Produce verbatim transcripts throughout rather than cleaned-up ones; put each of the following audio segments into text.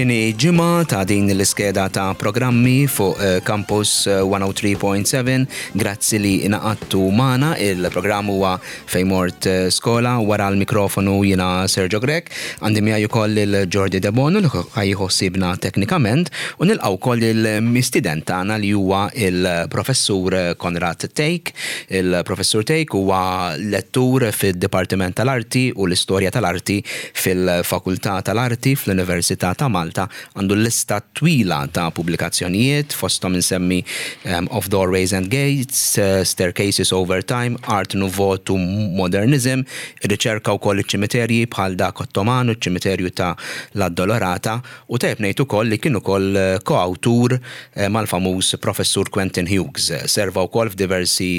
It-tieni ġimgħa ta' din l-iskeda ta' programmi fuq eh, Campus mija u tlieta punt seba'. Grazzi li ingħaqadtu magħna. Il-programm huwa Fejn Mort eh, Skola. Wara l-mikrofonu jiena Sergio Grech. Għandi miegħi ukoll il-Jordi Debono li ħa jieħu ħsiebna teknikament u nilqgħu wkoll il-mistieden tagħna li huwa il-professur Konrad Thake. Il-professur Thake huwa lettur fid-Dipartiment tal-Arti u l-Istorja tal-Arti fil-Fakultà tal-Arti fl-Università ta' Malta. Għandu lista twila ta' pubblikazzjonijiet, fosthom insemmi um, Of Doorways and Gates, uh, Staircases Over Time, Art Nouveau to Modernism, riċerka wkoll iċ-ċimiterji bħal dak Ottoman u ċ-ċimiterju ta' l-Addolorata, u tajb ngħid ukoll li kien ukoll eh, koawtur eh, mal-famuż professur Quentin Hughes. Serva wkoll f'diversi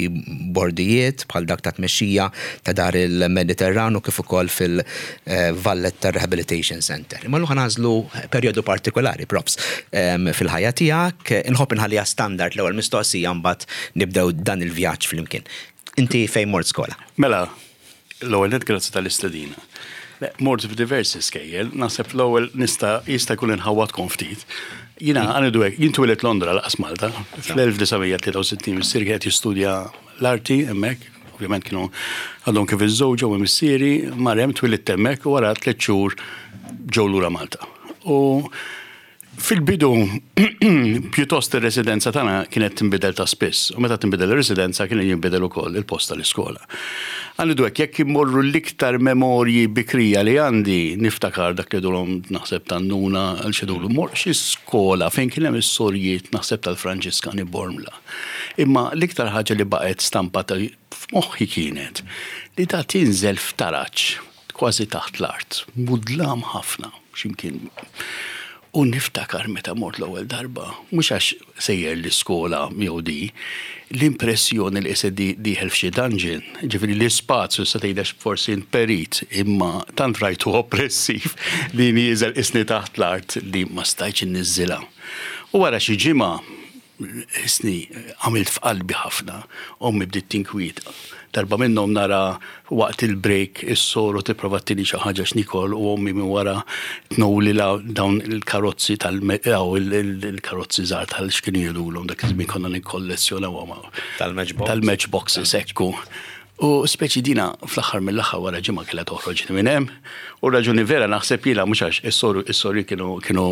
bordijiet bħal dak ta' tmexxija ta' Dar il-Mediterranu kif ukoll fil-Valletta Rehabilitation Center. Imma llum nagħżlu perjodu partikolari, profs, em, fil-ħajja tiegħek. Inħobb inħalliha standard l-ewwel mistoqsija, mbagħad nibdew dan il-vjaġġ flimkien. Inti fejn mort skola? Mela, l-ewwel net grazzi tal-istedina. Le, mort f'diversi skejjel, naħseb l-ewwel nista' jista' jkun inħawwadkom ftit. Jiena għanidu hekk, jien twelidt Londra, lanqas Malta, fl-elf disa' mija tlieta u sittin. Missieri kien qed jistudja l-arti hemmhekk, ovvjament kienu għadhom kif iżżewġu u missieri mar hemm, twelidt hemmhekk u wara tliet xhur ġew lura Malta. U fil-bidu, pjuttost ir-residenza tagħna kienet tinbidel ta' spiss, u meta tinbidel ir-residenza kien jinbidel ukoll il-post tal-iskola. Għandu hekk, jekk immorru l-iktar memorji bikrija li għandi, niftakar dak li dulhom naħseb tan-nuna għal xi dulu, mort xi skola fejn kien hemm is-sorijiet, naħseb tal-Franġiskani Bormla. Imma l-iktar ħaġa li baqgħet stampata f'moħħi kienet li ta' tinżel f'taraġ kważi taħt l-art, mudlam ħafna, x'imkien. U niftakar meta mort l-ewwel darba, mhux għax sejjer l-iskola jew di, l-impressjoni li qisek dieħel f'xi dungeon, ġifieri l-ispazju sa tgħidx forsi perit, imma tant rajtu oppressiv li nieżel isni taħt l-art li ma stajtx inniżżilha. U wara xi ġimgħa isni għamilt f'qalbi ħafna, ommi bdiet tinkwieta. Darba minnhom nara waqt il-break is-soru tipprova ttini xi ħaġa x'nikol u ommi minn wara tnowli la dawn il-karozzi tal il-karozzi żgħar tal x'kienu jgħidulhom dak iż-żmien, konna nikkollezzjonawhom. Tal-matchbox. Tal-matchboxes, ekku. U speċi dina fl-aħħar mill-aħħar wara ġimgħa kellha toħroġ minn hemm. U raġuni vera naħseb jiena mhux għax is-soru is-sori kienu kienu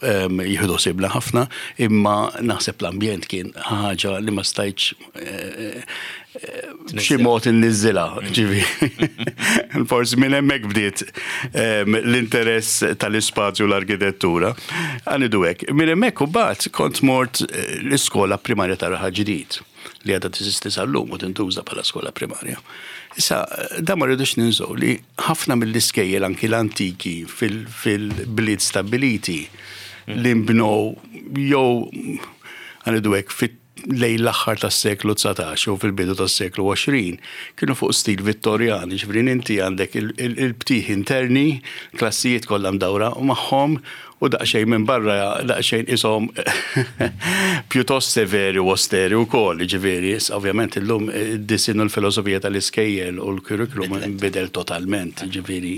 ehm, jieħdu ħsiebna ħafna, imma naħseb l-ambjent kien ħaġa li ma stajtx eh, eh, b'xi mod inniżżilha, ġifieri. Forsi minn hemmhekk bdiet ehm, l-interess tal-ispazju u l-arkitettura. Għanidu hekk. Minn hemmhekk u mbagħad kont mort eh, l-iskola primarja ta' Raħal Ġdid li għadha teżisti sal-lum u tintuża bħala skola primarja. Issa, da ma rridux ninsow li ħafna mill-iskejjel, anki l-antiki fil-bliet stabiliti li nbnew jew għanidu hekk fit lejn l-aħħar tas-seklu dsatax u fil-bidu tas-seklu għoxrin kienu fuq stil Vittorjan, ġifieri inti għandek il-btieħ interni, klassijiet kollha mdawra u magħhom u daqsxejn minn barra daqsxejn ishom pjuttost severi u osteri u koll, ġifieri, ovvjament illum id-disinn u l-filosofija tal-iskejjel u l-curriculum nbidel totalment, ġifieri,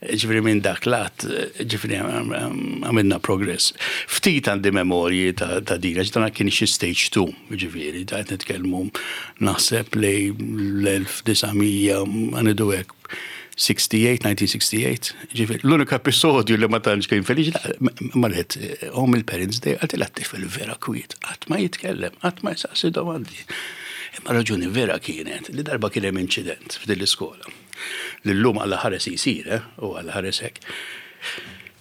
ġifieri minn dak lat, ġifieri għamilna progress. Ftit għandi memorji ta' ta' din, għax dan kien xi stage two, ġifieri, ta' qed nitkellmu naħseb lejn l-elf disa' mija, għanidu hekk, sitta u sittin, elf disa' mija u sitta u sittin, ġifieri, l-unika episodju li ma tantx kien feliċi, marret home il-Parents Day, għaltila t-tifel vera kwiet, qatt ma jitkellem, qatt ma jsaqsi domandi. Imma raġuni vera kienet li darba kien hemm inċident f'din l-iskola. L-lum għalla ħares jisir, eh, u għalla ħares hekk.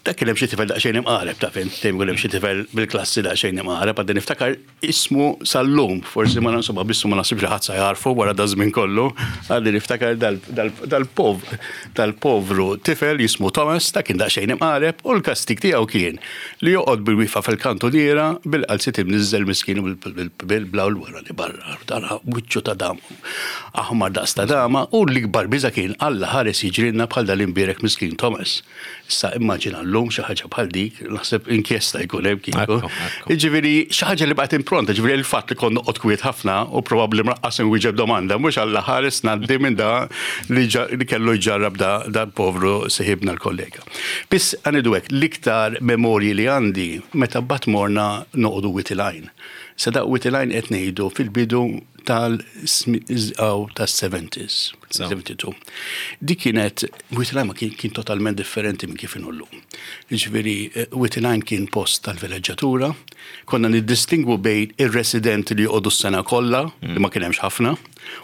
Dak kien hemm xi tifel daqsxejn imqareb, ta' fin, dejjem ikun hemm xi tifel bil-klassi daqsxejn imqareb, għadni niftakar ismu sal-lum, forsi ma insomma bissu ma nasibx li ħadd sa jarfu wara da żmien kollu, għadni niftakar dal-pov dal-povru tifel jismu Thomas, dak kien daqsxejn imqareb u l-kastik tiegħu kien li joqgħod bil-wieqfa fil-kantuniera bil-qalziet imniżżel miskin bil-blaw l-wara li barra, dara wiċċu ta' dam aħmar daqs ta' dama, u l-ikbar biża kien Alla ħares jiġrilna bħal dal-imbierek miskin Thomas. Issa immaġina. Illum xi ħaġa bħal dik, naħseb inkjesta jkun hemm kieku. Jiġifieri xi ħaġa li baqgħet impronta, ġifieri il-fatt li kont noqgħod kwiet ħafna u probabbli lanqas inwieġeb domanda, mhux Alla ħares ngħaddi minn da li kellu jġarrab da, da povru seħibna l-kollega. Biss għanidu hekk, l-iktar memorji li għandi meta bat morna noqogħdu Wied il-Għajn. Sa da Wied il-Għajn qed ngħidu fil-bidu tal-seventies, seventy-two. Dik kienet, Wied il-Għajn ma kien, kien totalment differenti minn kif inhu llum. Jiġifieri, Wied il-Għajn kien post tal-villeġġatura, konna niddistingwu bejn ir-residenti li joqogħdu s-sena kollha, li ma kien hemmx ħafna,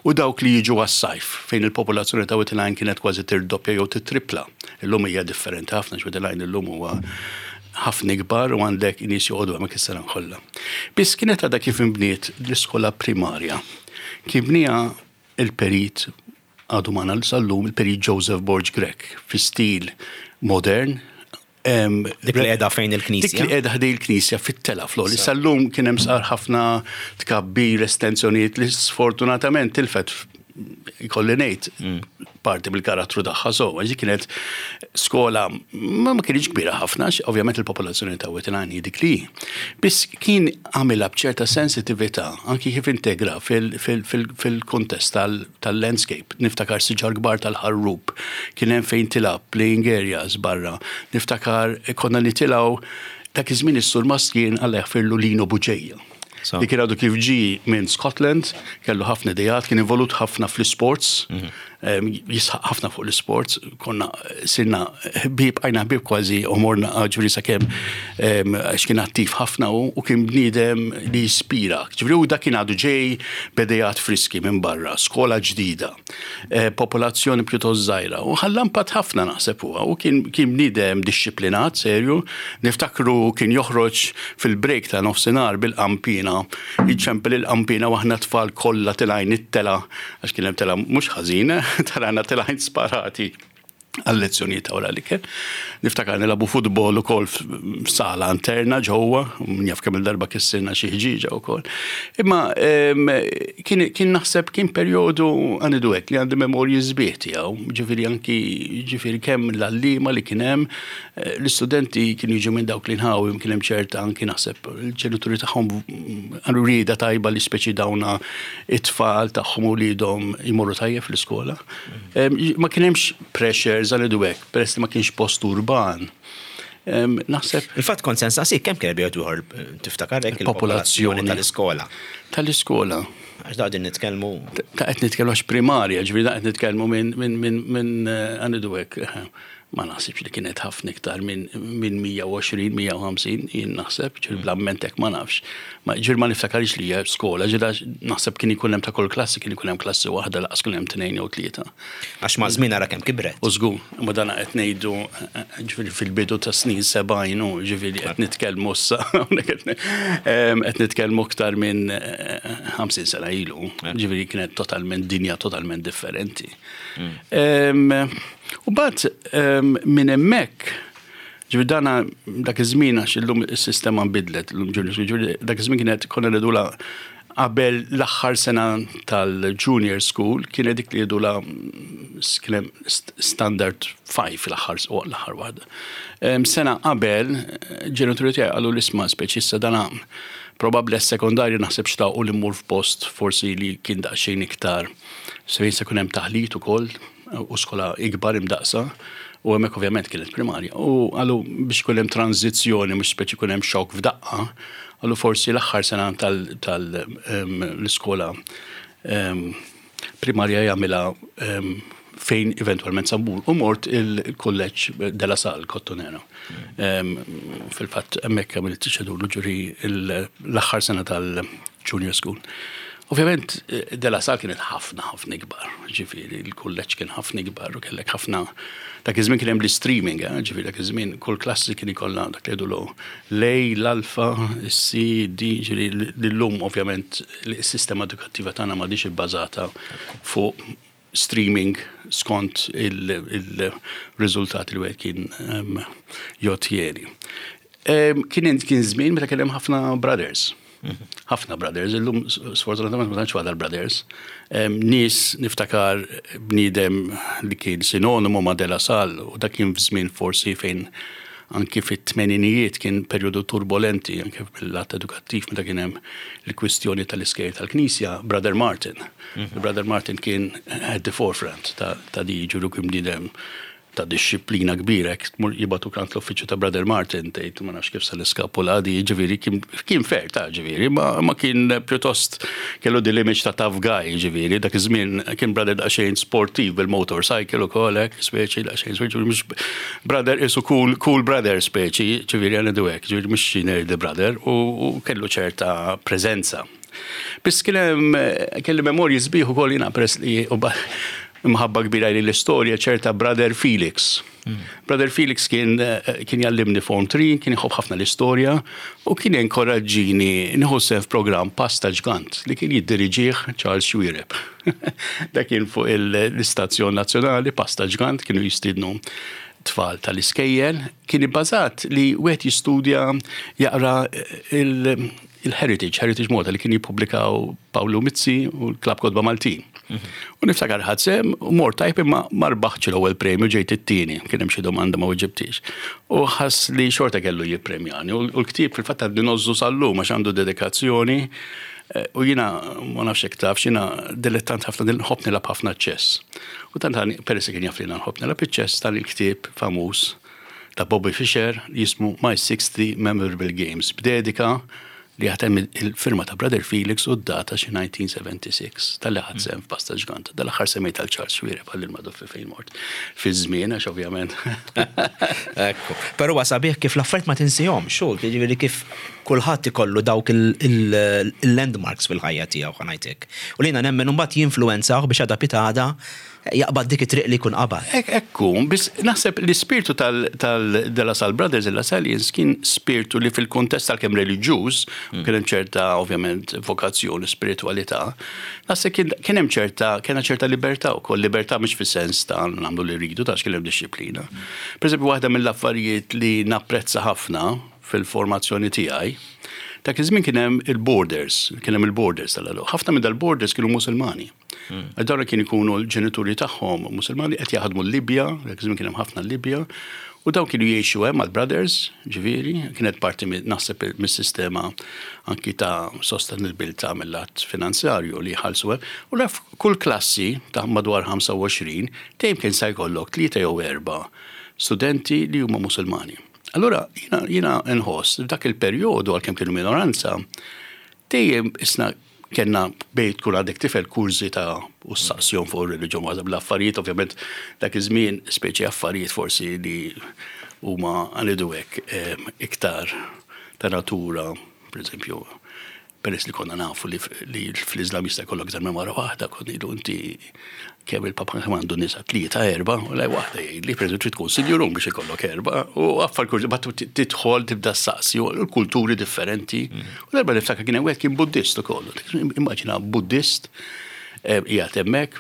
u dawk li jiġu għas-sajf, fejn il-popolazzjoni ta' Wied il-Għajn kienet kważi tirdoppja jew titripla. Illum hija differenti ħafna, Wied il-Għajn illum huwa ħafna ikbar u għandek nies joqogħdu hemmhekk is-sena kollha. Biss kienet għadha kif inbniet l-iskola primarja. Kien bniha il-perit għadu magħna sal-lum, il-perit Joseph Borg Grech, fi stil modern. Dik li qiegħda fejn il-knisja? Dik li qiegħda ħdej il-knisja fit-tela floli. Sal-lum kien hemm sar ħafna tkabbir, estensjonijiet li sfortunatament tilfet, ikolli ngħid, parti mill-karattru tagħha so, għax kienet skola ma ma kienx kbira ħafna, għax ovvjament il-popolazzjoni ta' Wied il-Għajn hi dik li. Biss kien għamilha b'ċerta sensitività anki kif integra fil-kontest tal-landscape. Niftakar siġar kbar tal-ħarrub, kien hemm fejn tilgħab playing areas barra. Niftakar konna nitilgħu dak iż-żmien is-surmast kien Alla jaħfirlu Lino Buġeja. Li kien għadu kif ġi minn Scotland, kellu ħafna idejat, kien involut ħafna fl-sports, jisħaq ħafna fuq l-sports, konna sirna ħbieb, għajna ħbieb kważi, u morna ġifieri sakemm għax kien attiv ħafna u, u kien bniedem li jispira. Ġifieri u dak kien għadu ġej b'idejat friski minn barra, skola ġdida, eh, popolazzjoni pjuttost żgħira, u ħalla impatt ħafna naħseb huwa, u kien, kien bniedem dixxiplinat, serju, niftakru kien joħroġ fil-break ta' nofsinhar bil-qampina, iċempel il-qampina u aħna tfal kollha tilgħin it-tela, għax kien hemm tela mhux ħażina, tarana tilgħin sparati għal-lezzjonijiet ta' wara l-ikel. Niftakar nilagħbu futbol ukoll f'sala interna ġewwa, min jaf kemm il-darba kissirna xi ħġieġa wkoll. Imma kien, kien naħseb kien perjodu għanidu hekk li għandi memorji sbieħ tiegħu, ġifieri anki ġifieri kemm l-għalliema li kien hemm, l-istudenti kienu jiġu minn dawk li nħawi, kien hemm ċerta anki naħseb il-ġenituri tagħhom għandu rieda tajba li speċi dawna it-tfal tagħhom u lidhom jmorru tajjeb fl-iskola. Ma kien hemmx pressures għal hekk, peress li ma kienx post urban. Naħseb. Il-fatt kont sens saqsik kemm kien bejgħod ieħor tiftakar hekk il-popolazzjoni tal-iskola. Tal-iskola. Għax da qegħdin nitkellmu. Ta' qed nitkellmu għax primarja, ġifieri da qed nitkellmu minn minn minn minn għanidu hekk. Ma naħsibx li kienet ħafna iktar minn minn mija u għoxrin, mija u ħamsin, jien naħseb, ġifieri bl-amment hekk ma nafx. Ma ġifieri ma niftakarx li hija skola, ġifieri naħseb kien ikun hemm ta' kull klassi, kien ikun hemm klassi waħda laqas kien hemm tnejn jew tlieta. Għax ma' żmien ara kemm kibret. U żgur, ma dan qed ngħidu ġifieri fil-bidu ta' snin sebgħin u ġifieri qed nitkellmu issa, qed nitkellmu aktar minn ħamsin sena ilu, ġifieri kienet totalment dinja totalment differenti. U bat minn hemmhekk, ġifieri dana dak iż-żmien għax illum is-sistema nbidlet, illum junior school, ġifieri dak iż-żmien kienet konna ngħidulha qabel l-aħħar sena tal-junior school, kienet dik li jgħidulha kien hemm standard five l-aħħar l-aħħar waħda. Sena qabel, ġenituri tiegħi qalu l-isma' speċi issa dana probabbli s-sekondarju naħseb xtaqu li mmur f'post forsi li kien daqsxejn iktar se se jkun hemm taħlit ukoll u skola ikbar imdaqsa, u hemmhekk ovvjament kienet primarja. U qalu biex ikun hemm tranzizzjoni, mhux speċi jkun hemm xokk f'daqqa, qalu forsi l-aħħar sena tal-iskola primarja jagħmilha fejn eventwalment sambur. U mort il-kolleġġ De La Salle, Kottonera. Fil-fatt hemmhekk għamilt xedulu ġuri l-aħħar sena tal-junior school. Ovvjament, De La Salle kienet ħafna, ħafna ikbar, ġifieri, il-kulleġġ kien ħafna ikbar u kellek ħafna, dak iż-żmien kien hemm l-streaming, eh, ġifieri dak iż-żmien kull klassi kien ikollha dak li jgħidulu l-A, l-alfa, C, D, ġifieri l-lum ovvjament is-sistema edukattiva tagħna m'għadix ibbażata fuq streaming skont il-riżultati li wieħed kien jottieni. Kien kien żmien meta kien hemm ħafna brothers. Ħafna brothers, illum sfortunatament ma tantx fadal brothers. Nies niftakar bniedem li kien sinonimu ma' De La Salle u dak kien f'żmien forsi fejn Anki fit-tmeninijiet kien perjodu turbolenti, anke bil-lat edukattiv, meta kien hemm il-kwistjoni tal-iskejjel tal-Knisja, Brother Martin. Mm-hmm. Brother Martin kien at the forefront ta', ta di ġuru, kien bniedem ta' disċiplina kbira, tmur jibagħtuk għand l-uffiċċju ta' Brother Martin, tgħid ma nafx kif se niskapula di, ġifieri kien fair ta' ġifieri, ma, ma kien pjuttost kellu di l-image ta' tough guy, ġifieri, dak iż-żmien kien brother daqsxejn sportiv bil-motorcycle u kollox, speċi daqsxejn, speċi mhux brother isu cool, cool brother speċi, ġifieri għandu hekk, ġifieri mhux xi nerdy brother, u, u kellu ċerta preżenza. Biss kien hemm kelli memorji sbieħ ukoll jiena, peress li mħabba kbira li l-istorja, ċerta Brother Felix. Mm. Brother Felix kien, kien jallimni Form three, kien jħobb ħafna l-istorja u kien enkoraġġini nieħu sehem f'programm Pass ta' Ġgant li kien jiddiriġih Charles Xuereb. Da kien fuq l-istazzjon nazzjonali, Pass ta' Ġgant, kienu jistidnu tfal tal-iskejjel, kien ibbażat li wieħed jistudja, jaqra il-Heritage, Heritage Malta li kien jippubblikaw Paolo Mizzi u l-Klabb Kotba Maltin. U niftakar ħadt sehem u mort tajb, imma ma rbaħtx l-ewwel premju, ġejt it-tieni, kien hemm xi domanda ma weġibtix. U ħass li xorta kellu jippremjani. U l-ktieb fil-fatt għadni ngħożżu sal-lum għax għandu dedikazzjoni. U jiena ma nafx hekk taf, jiena dilettant ħafna, nħobb nilgħab ħafna ċess. U tant peress kien jaf li nħobb nilgħab iċ-ċess, dan il-ktieb famuż ta' Bobby Fischer jismu My sixty Memorable Games, b'dedika li għatem il-firma ta' Brother Felix u d-data xi elf disa' mija u sitta u sebgħin tal-li ħadt sehem f'Pass ta' Ġgant. Dal-aħħar semmejt għal Charles Xuereb għal il-maduffi fejn mort. Fi żmien, għax ovvjament. Ekku. Però sabiħ kif l-affarijiet ma tinsihom, xogħol, jiġifieri kif kulħadd ikollu dawk il-landmarks fil-ħajja tiegħu, ħa ngħidlek. U lina nemmen mbagħad jinfluwenzaw biex għada pitgħada jaqbad dik it-triq li jkun qabad. Ekku, biss naħseb l-ispirtu tal-De La Salle Brothers, il-La Sallians, kien spirtu li fil-kontest tal-kem reliġjuż, mm. kien hemm ċerta ovvjament vokazzjoni, spiritualità, naħseb kien hemm ċerta kien ċerta libertà wkoll, libertà mhux fis-sens ta' nagħmlu li rridu, ta' kien hemm disċiplina. Per eżempju, waħda mill-affarijiet li napprezza ħafna fil-formazzjoni tiegħi, dak iż-żmien kien hemm il-boarders, kien hemm il-boarders tal. Ħafna minn dal-boarders kienu Musulmani. Hmm. Dawn kien ikunu l-ġenituri tagħhom Musulmani qed jaħdmu l-Libja, dak iż-żmien kien hemm ħafna l-Libja, u dawn kienu jgħixu hemm mal-brothers, ġifieri, kienet parti naħseb mis-sistema anki ta' sostenibilità mill-lat finanzjarju li jħallsu hemm. U laf kull klassi ta' madwar ħamsa u għoxrin dejjem kien sa jkollok tlieta jew erba' studenti li huma Musulmani. Allora jiena jiena nħoss dak il-perjodu, għalkemm kienu minoranza, dejjem isna kellna bejt tkun għadek tifel kurżità u saqsjon fuq ir-reliġjon, waħda bl-affarijiet, ovvjament dak iż-żmien speċi affarijiet forsi li huma għalidu hekk iktar ta' natura, per eżempju, peress li konna nafu li, li fl-Islam jista' jkollok iktar minn mara waħda, kont ngħidu, "Inti kemm il-papa kemm għandu nisa, tlieta, erba'?" U lej waħda jgħid li per trid tkun sinjurun biex ikollok erba', u affar kurżi bat tidħol tibda saqsi u l-kulturi differenti. U darba niftakar kien hemm wieħed kien Buddist ukoll. Immaġina Buddist qiegħed hemmhekk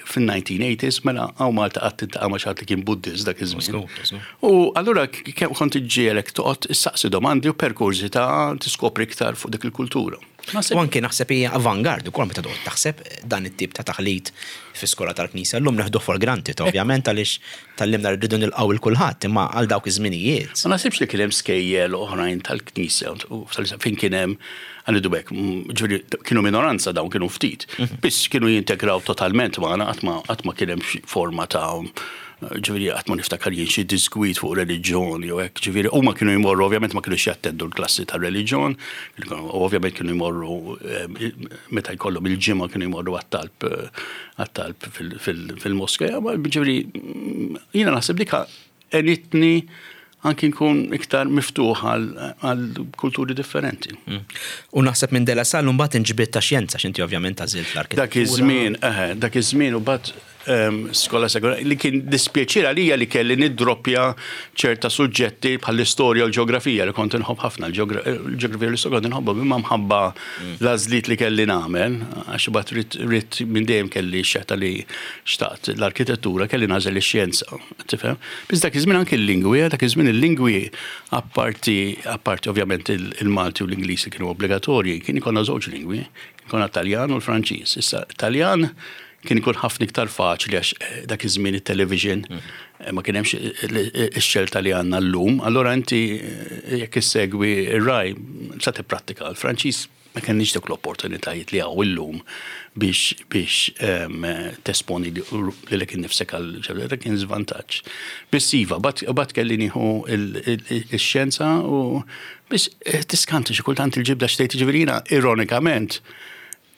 fin-nineteen eighties, mela hawn Malta qatt tiltaqa' ma' xi ħadd li kien Buddist dak iż-żmien. U allura kont iġġielek toqgħod issaqsi domandi u per kurżità tiskopri iktar fuq dik il-kultura. U anke naħseb hija avangard ukoll meta toqgħod taħseb dan it-tip ta' taħlit fi skola tal-Knisja. Llum neħdu for granted ovvjament għaliex tgħallimna rridu nilqgħu il kulħadd, imma għal dawk iż-żminijiet. Ma naħsibx li kien hemm skejjel oħrajn tal-Knisja fejn kien hemm, għalidu hekk, ġifieri kienu minoranza dawn, kienu ftit. Mhm. Biss kienu jintegraw totalment magħna, qatt ma kien hemm forma ta', ġifieri qatt ma niftakar jien xi disgwid fuq reliġjon jew hekk, ġifieri huma kienu jmorru, ovvjament ma kienux jattendu l-klassi ta' reliġjon, u ovvjament kienu jmorru meta jkollhom il-ġimgħa, kienu jmorru għat-talb għat-talb fil-moskea, ġifieri jiena naħseb dika għenitni anki nkun iktar miftuħ għal kulturi differenti. Mm. U naħseb minn De La Salle mbagħad inġbidt ta' xjenza, x'inti ovvjament għażilt l-arkitettura. Dak iż-żmien, eħe, dak iż-żmien u bat skola sekondarja li kien dispjaċir għalija li kelli niddroppja ċerta suġġetti bħall-istorja u l-ġeografija li kont inħobb ħafna. Il-ġeografija u l-istorja kont inħobbhom, imma mħabba mm. l-għażliet li kelli nagħmel, għax bat rrid minn dejjem kelli xetta li xtaqt l-arkitettura, kelli nagħżel ix-xjenza, tifhem? Biss dak iż-żmien anke l-lingwi, dak iż-żmien il-lingwi apparti apparti ovvjament il-Malti u l-Ingliż kienu obbligatorji, kien ikollna żewġ lingwi, kien Taljan u l-Franċiż. Issa Taljan Kien ikun ħafna iktar faċli għax eh, dak iż-żmien it-television eh, ma kien hemmx ix-xelta li għandna llum. Allora inti eh, jekk issegwi ir-Rai sa tipprattika l-Franċiż, ma kenniex dik l-opportunitajiet li hawn illum biex biex em, tesponi lilek innifsek għal dak kien żvantaġġ. Biss iva, bat bat kelli nieħu il-xjenza u biss eh, tiskanti xi kultant il-ġibda xtejt, ġifieri jiena ironikament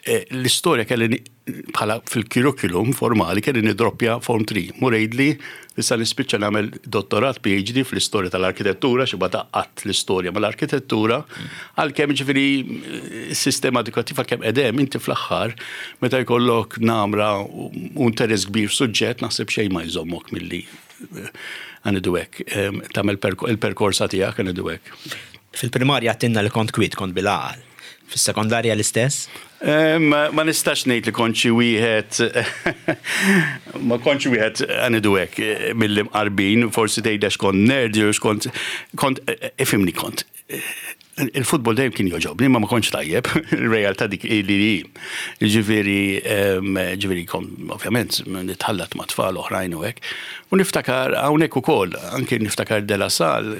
eh, l-istorja kelli ni- bħala fil-curriculum formali kelli nidroppja Form tlieta. Mur għidli issa nispiċċa nagħmel dottorat P H D fl-istorja tal-arkitettura, xi taqgħat l-istorja mal-arkitettura, għalkemm ġifieri s-sistema edukattiv għalkemm edem inti fl-aħħar meta jkollok namra u u interess kbir f'suġġett, naħseb xejn ma jżommok milli għanidu hekk, tagħmel il-perkorsa tiegħek, għanidu hekk. Fil-primarja għedtilna li kont kwiet, kont bil-għaqal. Fis-sekondarja l-istess? Eh, Ma ma nistax ngħid li kont xi wieħed, ma kontx wieħed, għanidu hekk, eh, mill-imqarbin, forsi tgħid għax kont nerd jew kont kont eh, ifhimni, kont eh, il-futbol dejjem kien joġobni, ma ma kontx tajjeb, il-realtà dik li li. Ġifieri, em, ġifieri kont ovvjament nitħallat ma' tfal oħrajn u hekk. U niftakar hawnhekk ukoll, anke niftakar De La Salle,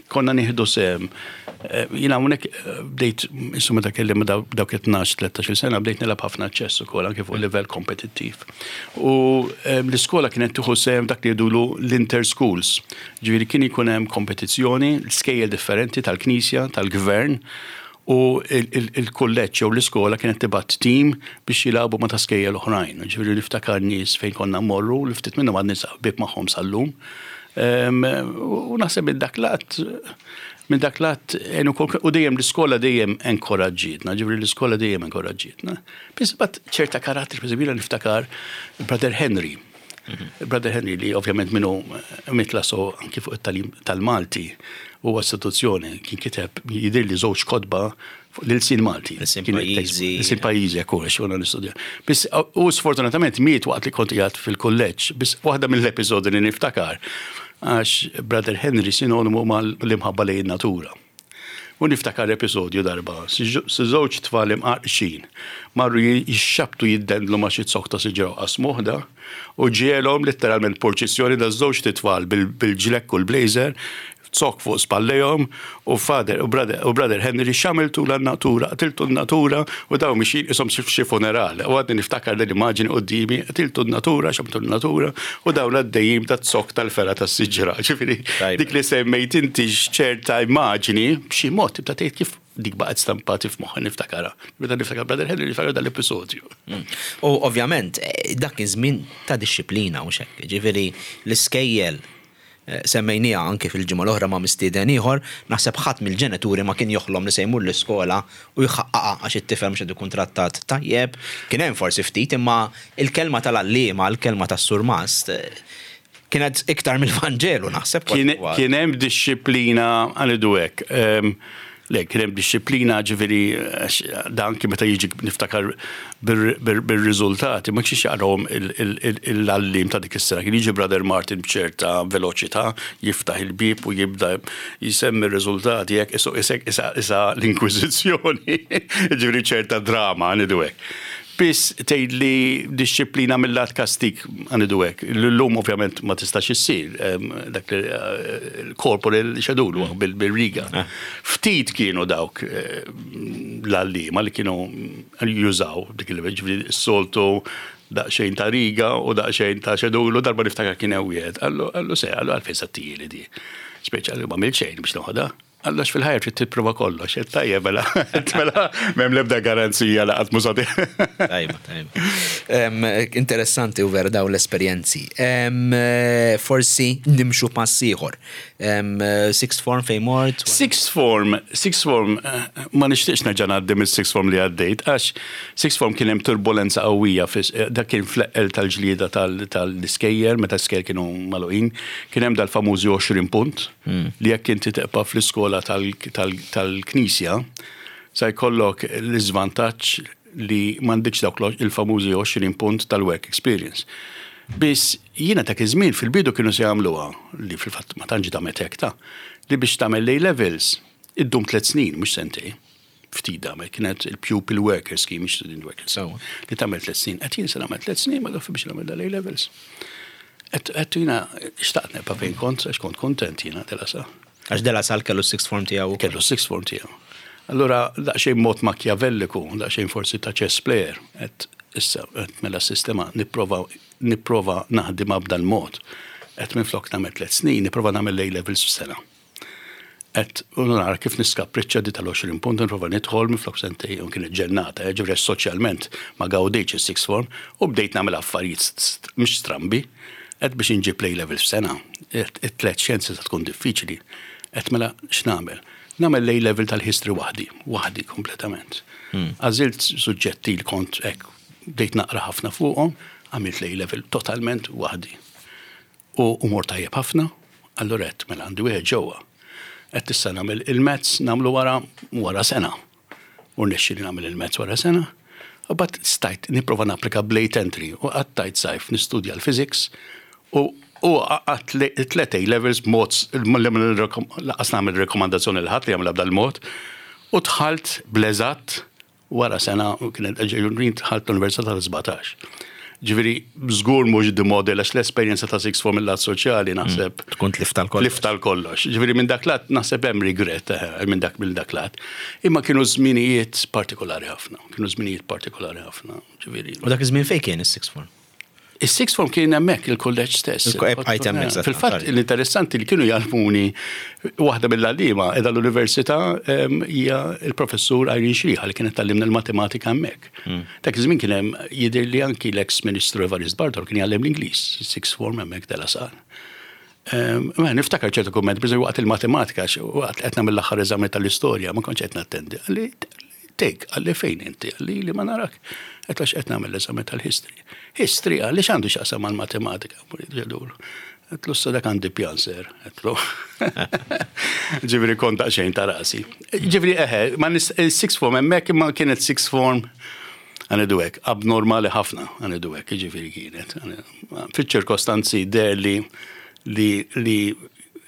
konna nieħdu sehem. Eh, Jiena hawnhekk eh, bdejt, insomma, meta kelli ma daw- dawk tnax tlettax-il sena bdejt nilgħab ħafna ċess ukoll anke fuq livell kompetittiv. U em, l-iskola kienet tieħu sehem dak li jgħidulu l-inter-schools. Ġifieri kien ikun hemm kompetizzjoni, l-skejjel differenti tal-Knisja, tal-Gvern, u il-kulleġġ jew l-iskola kienet tibgħat tim biex jilagħbu ma' ta' skejjel oħrajn. Ġifieri niftakar nies fejn konna mmorru, li ftit minnhom għad ħbieb magħhom sal-lum. Em, U naħseb minn dak lat minn dak lat għenu kol- u dejjem l-iskola dejjem enkoraġġietna, ġifieri l-iskola dejjem enkoraġġietna. Biss bat ċerta karattri, per eżempju, niftakar Brother Henry. Brother Henry li ovvjament minnu mitla so anki fuq it-tagħlim tal-Malti huwa istituzzjoni, kien kiteb jidir li żewġ kotba fuq l-ilsien Malti. L-ilsien Kien pajjiżi. L-ilsien pajjiżi, ekku, għax konna nistudja. Biss u sfortunatament miet waqt li kont qiegħed fil-kulleġġ, biss waħda mill-episodi li niftakar, għax Brother Henry sinonimu mal-imħabba lejn natura. U niftakar episodju darba, si żewġ tfal imqarqxin, marru jixxabtu jiddendlu ma' xi zokk ta' siġra u qasmuh da, u ġielhom letteralment purċissjoni da żewġ tfal bil-ġlekk u l-blazer, zokk fuq spallejhom, u father u brother, u brother Henry, "X'għamiltu lin-natura, qtiltu n-natura," u daw mixin isom xi funeral. U għadni niftakar l-immaġini quddiemi, "Qtiltu n-natura, x'għamiltu n-natura," u dawn għaddejjim ta' zokk tal-fergħa tas-siġra. Ġifieri Tajba. dik li semmejt inti ċerta immaġini, b'xi mod tibda tgħid kif dik baqgħet stampati f'moħħi, niftakarha. Meta niftakar Brother Henry niftakar dal-episodju. U ovvjament, eh, dak iż-żmien ta' disċiplina u xekk. Ġifieri l-iskejjel eh, semmejnija anke fil-ġimgħa l-oħra ma' mistieden ieħor, naħseb ħadd mill-ġenituri ma kien joħlom li se jmur l-iskola u jħaqqaqha għax it-tifel mhux qed ikun trattat tajjeb. Kien hemm forsi ftit, imma il-kelma tal-għalliema, il-kelma tas-surmast eh, kienet iktar mill-Vanġelu, naħseb. Kien kien hemm disċiplina, għanidu hekk. Em, Le, kien hemm disċiplina, ġifieri għax dan anki meta jiġi niftakar bir-riżultati, ma kienx jaqrahom l-għalliem ta' dik is-sena. Kien jiġi Brother Martin b'ċerta veloċità, jiftaħ il-bib u jibda jisemmi r-riżultati jekk isu isek isa isa l-Inkwiżizzjoni, ġifieri ċerta drama, għanidu hekk. Biss tgħid li disċiplina mill-lat kastik, għanidu hekk. L-lum ovvjament ma tistax issir, em, dak li eh, il-corporal xedulu bil-riga. Ftit kienu dawk eh, l-għalliema li kienu jużaw dik il ġifieri s-soltu daqsxejn ta' riga u daqsxejn ta' xedulu. Darba niftakar kien hemm wieħed. Qallu qallu se, qallu, "Għalfejn sattili di?" Speċa li ma xejn biex noħodha. Qallu, "Għax fil-ħajja trid tipprova kollox." Tajjeb, mela, mela, m'hemm l-ebda garanzija la qatt mużati. Tajba, tajba. Em, Interessanti u vera daw l-esperjenzi. Em, Forsi nimxu pass ieħor. Em, Sixth form fejn mort? Sixth form, sixth form, eh, ma nixtieqx nerġa' ngħaddi mis-sixth form li għaddejt, għax sixth form kien hemm turbulenza qawwija, fis- eh, dak kien fl-eqqel tal-ġlieda tal-iskejjel, meta skejjel kienu magħluqin, kien hemm dal-famużi għoxrin punt li jekk inti tibqa' fl-iskola tal-Knisja, sa jkollok l-iżvantaġġ li m'għandekx dawk il-famużi għoxrin punt tal-work experience. Biss jiena dak iż-żmien fil-bidu kienu se jagħmluha li fil-fatt ma tantx damet hekk ta' li biex tagħmel A levels iddum tliet snin mhux sentejn. Ftit damet, kienet il-Pupil Worker Scheme, mhux Student Worker Scheme. Li tagħmel tliet snin. Għedt jien se nagħmel tliet snin, ma biex nagħmel dal-A levels. Għedt jiena xtaqt nibqa' fejn kont, għax kont kontent jiena De La Salle. Għax De La Salle kellu sixth form tiegħu. Kellu sixth form tiegħu. Allura, daqsxejn mod makjavelliku, daqsxejn forsi ta' chess player, għedt issa, għedt mela sistema nipprova nipprova naħdimha b'dal mod. Għedt minflok nagħmel tliet snin, nipprova nagħmel A levels f'sena. Għedt, u nara kif niskapriċċa di tal-għoxrin punt, nipprova nidħol minflok sentejn, u kienet ġennata, eh, ġifieri soċjalment ma gawdejtx is-sixth form, u bdejt nagħmel affarijiet mhux strambi, għedt biex inġib A levels f'sena. It-tlet xjenzi se tkun diffiċli. Għedt mela x'nagħmel? Nagħmel A level tal-history waħdi, waħdi kompletament. Għażilt suġġetti li kont hekk bdejt naqra ħafna fuqhom, għamilt A level totalment waħdi. U u mort tajjeb ħafna, allura għedt mela għandi wieħed ġewwa. Għedt issa nagħmel il-maths nagħmlu wara wara sena. U rnexxieli nagħmel il-maths wara sena. U mbagħad stajt nipprova napplika b'late entry u qattajt sajf nistudja l-physics u u għat tlet A levels b'mod lanqas nagħmel rekomandazzjoni lil ħadd li jagħmel b'dal mod u dħalt bl-eżatt wara sena u kienet dħalt l-Università tal-sbatax. Ġifieri, żgur mhux the model, għax l-esperjenza ta' sixth form mill-lat soċjali naħseb. Tkun tlift tal-kollox. Tlift tal-kollox. Ġifieri minn dak lat naħseb hemm regret eh, minn dak minn dak lat. Imma kienu żminijiet partikolari ħafna. Kienu żminijiet partikolari ħafna. Ġifieri. U dak iż-żmien fejn kien is-sixth form? Is-sixth form kien hemmhekk il-kulleġġ stess. Il-ko- bqajt hemmhekk, eżatt. Fil-fatt l-interessanti li kienu jgħallmuni waħda mill-għalliema qiegħda l-università em, hija il-professur Irene Xriħa li kienet tgħallimna l-matematika hemmhekk. Dak iż-żmien kien hemm jidher li anki l-ex Ministru Evarist Bartolo kien jgħallem l-Ingliż, sixth form hemmhekk De La Salle. Em, Ma niftakar ċertu kumment, per waqt il-matematika, waqt qed nagħmel l-aħħar eżami tal-istorja, ma kontx qed nattendi. Qalli, take, qalli fejn inti, qalli li ma narak. Għedt għax qed nagħmel l-eżami tal-history. History, qalli x'għandu x'jaqsam mal-matematika. Għedtlu issa dak għandi pjan sir. Għedtlu. Ġifieri kont xejn ta' rasi. Ġifieri eħe, ma nis- sixth form hemmhekk imma kienet sixth form għanidu hekk, abnormali ħafna għanidu hekk, ġifieri kienet. Fiċ-ċirkostanzi der li li li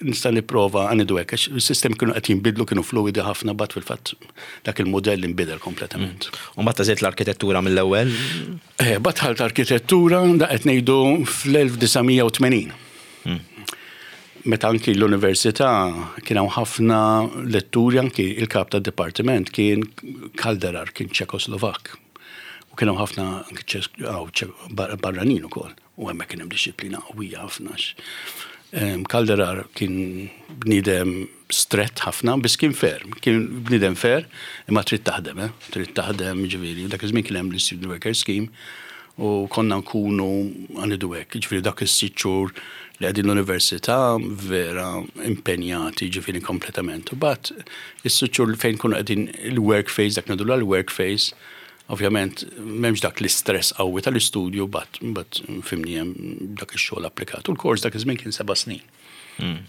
nista' nipprova għanidu hekk, għax il-sistemi kienu qed jinbidlu, kienu fluidi ħafna, but fil-fatt dak il-modell inbidel kompletament. U mbagħad għażilt l-arkitettura mill-ewwel. Eh, Dħalt arkitettura da qed ngħidu fl-elf disa' mija u tmenin. Meta anki l-università kien hawn ħafna letturi, anki il-kap tad-dipartiment kien Kalderar, kien Ċekoslovak. U kien hawn ħafna anki Ċes- aw, Ċe- bar- barranin ukoll. U hemmhekk kien hemm dixxiplina qawwija ħafna. Em, Kalderar kien bniedem strett ħafna, biss kien fair. Kien bniedem fair, imma trid taħdem, eh? Trid taħdem, ġifieri. Dak iż-żmien kien hemm l-Student Worker Scheme u konna nkunu għanidu hekk, ġifieri dak is-sitt xhur li qegħdin l-università vera impenjati ġifieri kompletament. U mbagħad is-sitt xhur fejn kunu qegħdin il-work phase, dak ngħidu l-work phase, ovvjament m'hemmx dak l-istress qawwi tal-istudju, but but fhimni, hemm dak ix-xogħol applikat. U l-kors dak iż-żmien kien seba' snin.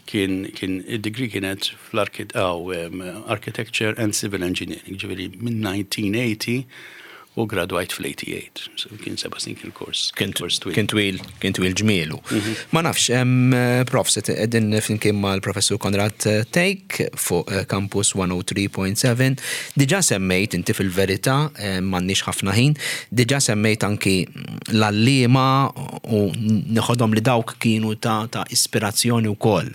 Kien kien id-degree kienet fl-Architecture and Civil Engineering, ġifieri minn elf disa' mija u tmenin u gradwajt fl-tmienja u tmenin. So kien seba' snin kien il-kors. Kien kors twil. Kien twil, kien twil ġmielu. Ma nafx, em, prof, se qegħdin flimkien mal-professur Konrad Thake fuq eh, Campus mija u tlieta punt seba. Diġà semmejt inti fil-verità, eh, m'għandniex ħafna ħin, diġà semmejt anki l-għalliema u neħodhom li dawk kienu ta' ta' ispirazzjoni wkoll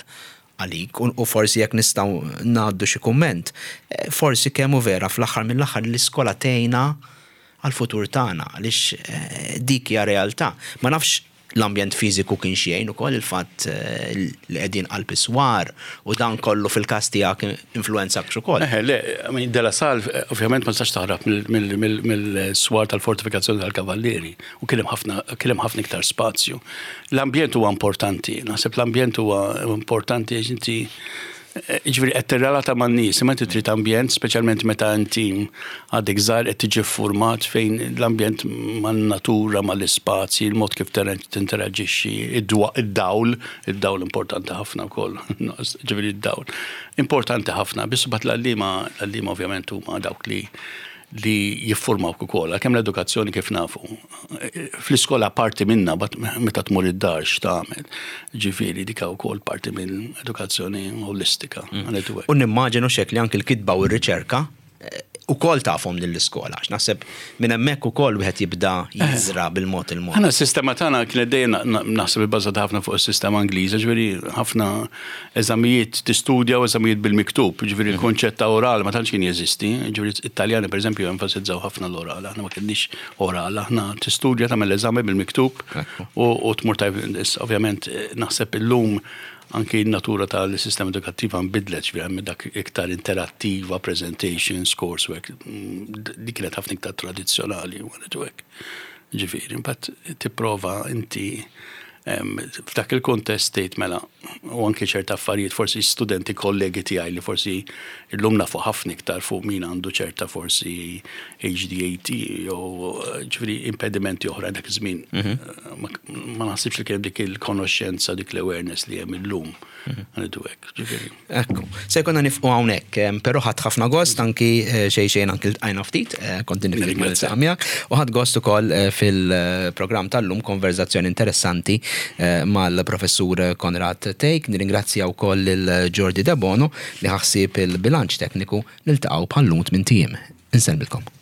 għalik u u forsi jekk nistgħu ngħaddu xi kumment, eh, forsi kemm hu vera fl-aħħar mill-aħħar l-iskola tgħinna għal-futur tagħna għaliex eh, dik hija realtà. Ma nafx l-ambjent fiżiku kien xejn ukoll il-fatt eh, li qegħdin qalb iswar u dan kollu fil-każ tiegħek influenzak ukoll. Eħe, le, I mean, De La Salle, eh, ovvjament ma tistax taħrab mill-swar tal-fortifikazzjoni tal-Kavallieri u kien hemm ħafna kien hemm ħafna iktar spazju. L-ambjent huwa importanti, naħseb l-ambjent huwa importanti għax inti eh, ġifieri qed tirrelata man-nies, imma inti trid ambjent, speċjalment meta inti għadek żgħar qed tiġi format fejn l-ambjent man-natura, mal-ispazji, il-mod kif tinteraġixxi, id-dawl, id-dawl importanti ħafna wkoll, ġifieri id-dawl. Importanti ħafna, biss mbagħad l-għalliema, l-għalliema ovvjament huma dawk li li jiffurmaw ukoll, għalkemm l-edukazzjoni kif nafu. Fl-iskola parti minna, but meta tmur id-dar x'tagħmel. Ġifieri dika wkoll parti minn edukazzjoni holistika. Għanidu hekk. U nimmaġinu xek li anki l-kitba u r-riċerka eh, Ukoll tafhom lill-iskola, għax naħseb minn hemmhekk ukoll wieħed jibda jiżra bil-mod il-mod. Aħna s-sistema tagħna kienet dejjem naħseb ibbażata ħafna fuq is-sistema Ingliża, ġifieri ħafna eżamijiet tistudja u eżamijiet bil-miktub, ġifieri l-konċett ta' oral ma tantx kien jeżisti, ġifieri Italjani, pereżempju, enfasizzaw ħafna l-oral, aħna ma kienx oral, aħna tistudja, tagħmel eżami bil-miktub u tmur tajb. Ovvjament naħseb illum anki n-natura tal-sistema edukattiva nbidlet, ġifieri dak iktar interattiva, presentations, coursework, mm, dik kienet ħafna iktar tradizzjonali, u hekk. Ġifieri, imbagħad tipprova inti f'dak il-kontest tgħid mela u anke ċerta affarijiet, forsi studenti kollegi tiegħi li forsi illum nafu ħafna iktar fuq min għandu ċerta forsi H D A T jew ġifieri impedimenti oħra, dak iż-żmien mhm. ma naħsibx li kien dik il-konoxxenza, dik l-awareness li hemm illum. Mhm. Għandu hekk, ġifieri. Ekku, se jkollna nieqfu hawnhekk, però ħadt ħafna gost anki eh, xejn xejn anki ltqajna ftit, eh, konti miegħek, u ħadt gost ukoll eh, fil-programm tal-lum, konverzazzjoni interessanti mal-professur Konrad Thake. Nirringrazzja wkoll lil Jordi Debono li ħa ħsieb il-bilanċ tekniku. Niltaqgħu bħal-lum tmint ijiem. Insellmilkom.